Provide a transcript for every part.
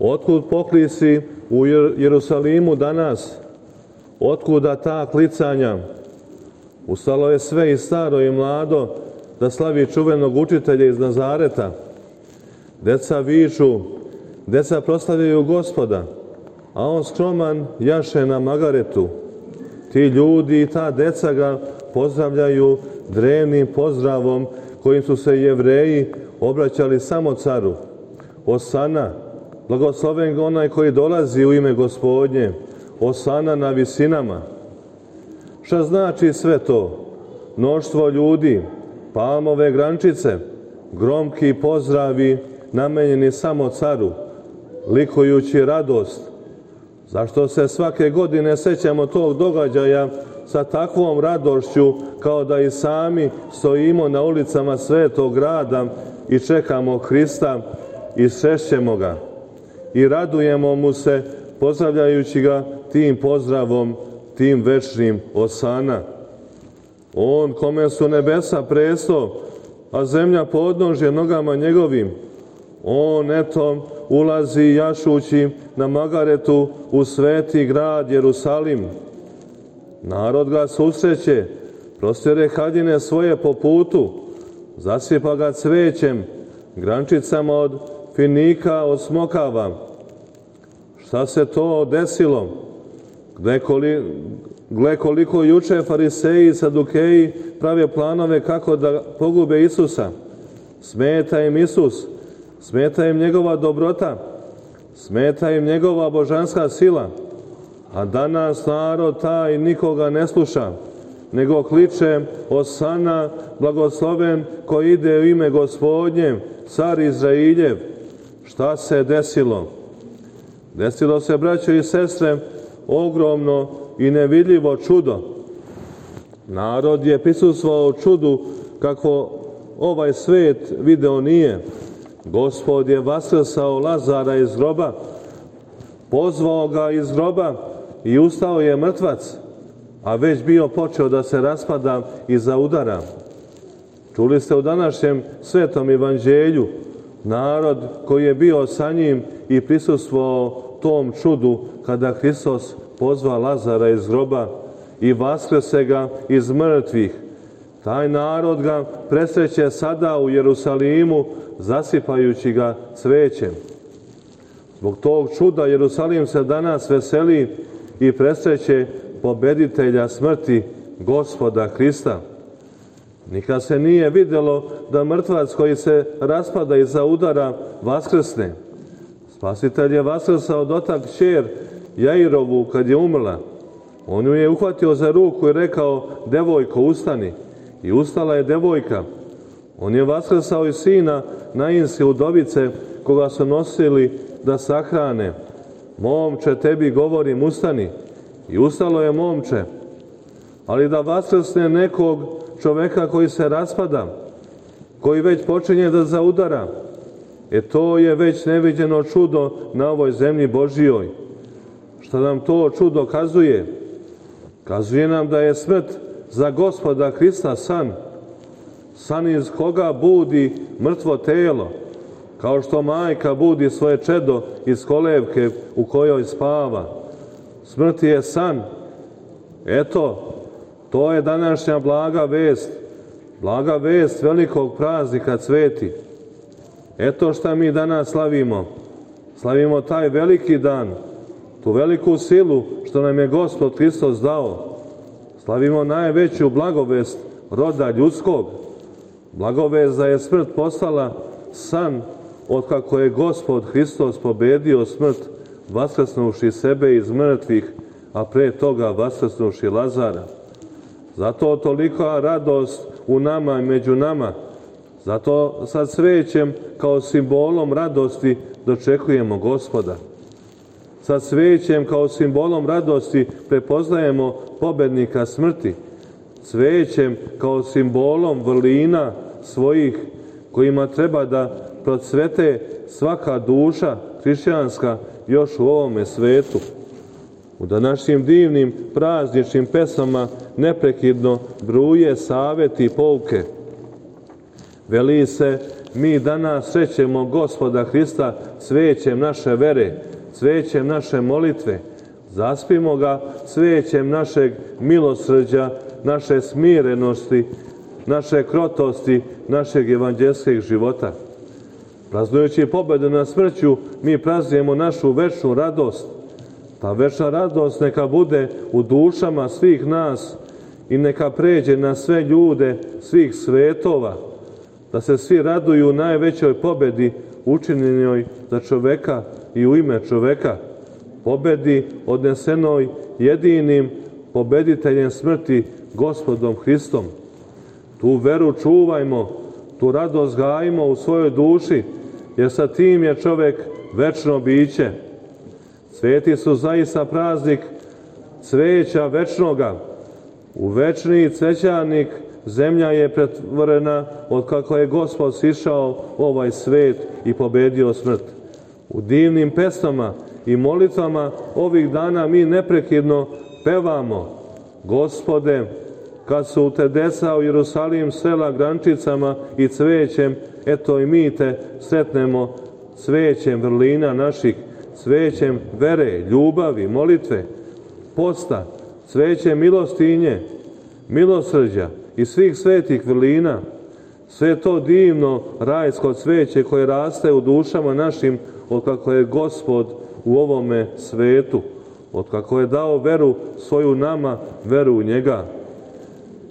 Otkud poklisi u Jerusalimu danas? Otkuda ta klicanja? Ustalo je sve i staro i mlado da slavi čuvenog učitelja iz Nazareta. Deca viču, deca proslavljaju Gospoda, a on skroman jaše na magaretu. Ti ljudi i ta deca ga pozdravljaju drevnim pozdravom kojim su se Jevreji obraćali samo caru. Osana, blagosloven onaj koji dolazi u ime Gospodnje, osana na visinama. Šta znači sve to? Mnoštvo ljudi, palmove grančice, gromki pozdravi namenjeni samo caru, likujući radost. Zašto se svake godine sećamo tog događaja sa takvom radošću kao da i sami stojimo na ulicama svetog grada i čekamo Hrista i srešćemo ga i radujemo mu se pozdravljajući ga tim pozdravom, tim večnim osana. On kome su nebesa presto, a zemlja podnožje nogama njegovim. On eto ulazi jašući na magaretu u sveti grad Jerusalim. Narod ga susreće, prostire haljine svoje po putu, zasipa ga cvećem, grančicama od finika, od smokava. Šta se to desilo? Gle koliko juče fariseji i sadukeji prave planove kako da pogube Isusa. Smeta im Isus, smeta im njegova dobrota, smeta im njegova božanska sila. A danas narod taj nikoga ne sluša, nego kliče osana, blagosloven koji ide u ime Gospodnje, car Izrailjev. Šta se desilo? Desilo se, braćo i sestre, ogromno i nevidljivo čudo. Narod je prisustvovao čudu kako ovaj svet video nije. Gospod je vaskrsao Lazara iz groba, pozvao ga iz groba i ustao je mrtvac, a već bio počeo da se raspada i zaudara. Čuli ste u današnjem svetom evanđelju narod koji je bio sa njim i prisustvovao tom čudu kada Hristos pozva Lazara iz groba i vaskrse ga iz mrtvih. Taj narod ga presreće sada u Jerusalimu, zasipajući ga cvećem. Zbog tog čuda Jerusalim se danas veseli i presreće pobeditelja smrti, Gospoda Hrista. Nikad se nije vidjelo da mrtvac koji se raspada i zaudara vaskrsne. Spasitelj je vaskrsao dotak kćer Jairovu kad je umrla. On ju je uhvatio za ruku i rekao: devojko, ustani. I ustala je devojka. On je vaskrsao i sina Nainske udovice koga su nosili da sahrane. Momče, tebi govorim, ustani. I ustalo je momče. Ali da vaskrsne nekog čoveka koji se raspada, koji već počinje da zaudara, to je već neviđeno čudo na ovoj zemlji Božijoj. Šta nam to čudo kazuje? Kazuje nam da je smrt za Gospoda Hrista san. San iz koga budi mrtvo telo, kao što majka budi svoje čedo iz kolevke u kojoj spava. Smrt je san. Eto, to je današnja blaga vest velikog praznika Cveti. Eto šta mi danas slavimo. Slavimo taj veliki dan, tu veliku silu što nam je Gospod Hristos dao. Slavimo najveću blagovest roda ljudskog. Blagovest da je smrt postala san otkako je Gospod Hristos pobedio smrt, vaskrsnuši sebe iz mrtvih, a pre toga vaskrsnuši Lazara. Zato tolika radost u nama i među nama. Zato sa cvećem kao simbolom radosti dočekujemo Gospoda. Sa cvećem kao simbolom radosti prepoznajemo pobednika smrti. Cvećem kao simbolom vrlina svojih kojima treba da procvete svaka duša hrišćanska još u ovome svetu. U današnjim divnim prazničnim pesama neprekidno bruje saveti i pouke. Veli se, mi danas srećemo Gospoda Hrista cvećem naše vere, cvećem naše molitve. Zaspimo ga cvećem našeg milosrđa, naše smirenosti, naše krotosti, našeg evanđelskog života. Praznujući pobedu nad smrću, mi praznujemo našu večnu radost. Ta večna radost neka bude u dušama svih nas i neka pređe na sve ljude svih svetova, da se svi raduju najvećoj pobedi učinjenoj za čoveka i u ime čoveka, pobedi odnesenoj jedinim pobediteljem smrti, Gospodom Hristom. Tu veru čuvajmo, tu radost gajimo u svojoj duši, jer sa tim je čovek večno biće. Sveti su zaista praznik cveća večnoga. U večni cvećarnik zemlja je pretvorena od kako je Gospod sišao ovaj svet i pobedio smrt. U divnim pesmama i molitvama ovih dana mi neprekidno pevamo: Gospode, kad su te deca u Jerusalim sela grančicama i cvećem, eto i mi te sretnemo cvećem vrlina naših, cvećem vere, ljubavi, molitve, posta, cvećem milostinje, milosrđa i svih svetih vrlina. Sve to divno rajsko cveće koje raste u dušama našim od kako je Gospod u ovome svetu, od kako je dao veru svoju nama, veru u njega.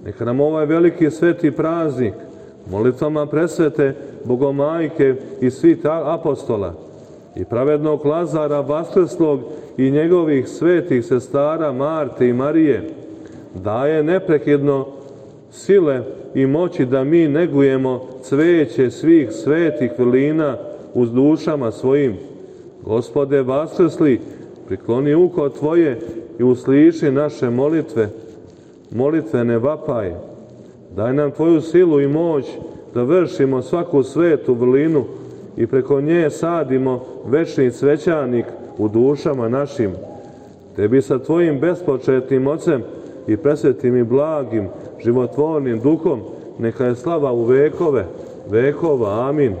Neka nam ovaj veliki sveti praznik molitvama presvete Bogomajke i svih apostola i pravednog Lazara vaskrslog i njegovih svetih sestara Marte i Marije daje neprekidno sile i moći da mi negujemo cveće svih svetih vrlina uz dušama svojim. Gospode vaskrsli, prikloni uho Tvoje i usliši naše molitve, molitvene vapaje. Daj nam Tvoju silu i moć da vršimo svaku svetu vrlinu i preko nje sadimo večni cvećanik u dušama našim. Tebi sa Tvojim bespočetnim Ocem i presvetim i blagim, životvornim Duhom neka je slava u vekove vekova. Amin.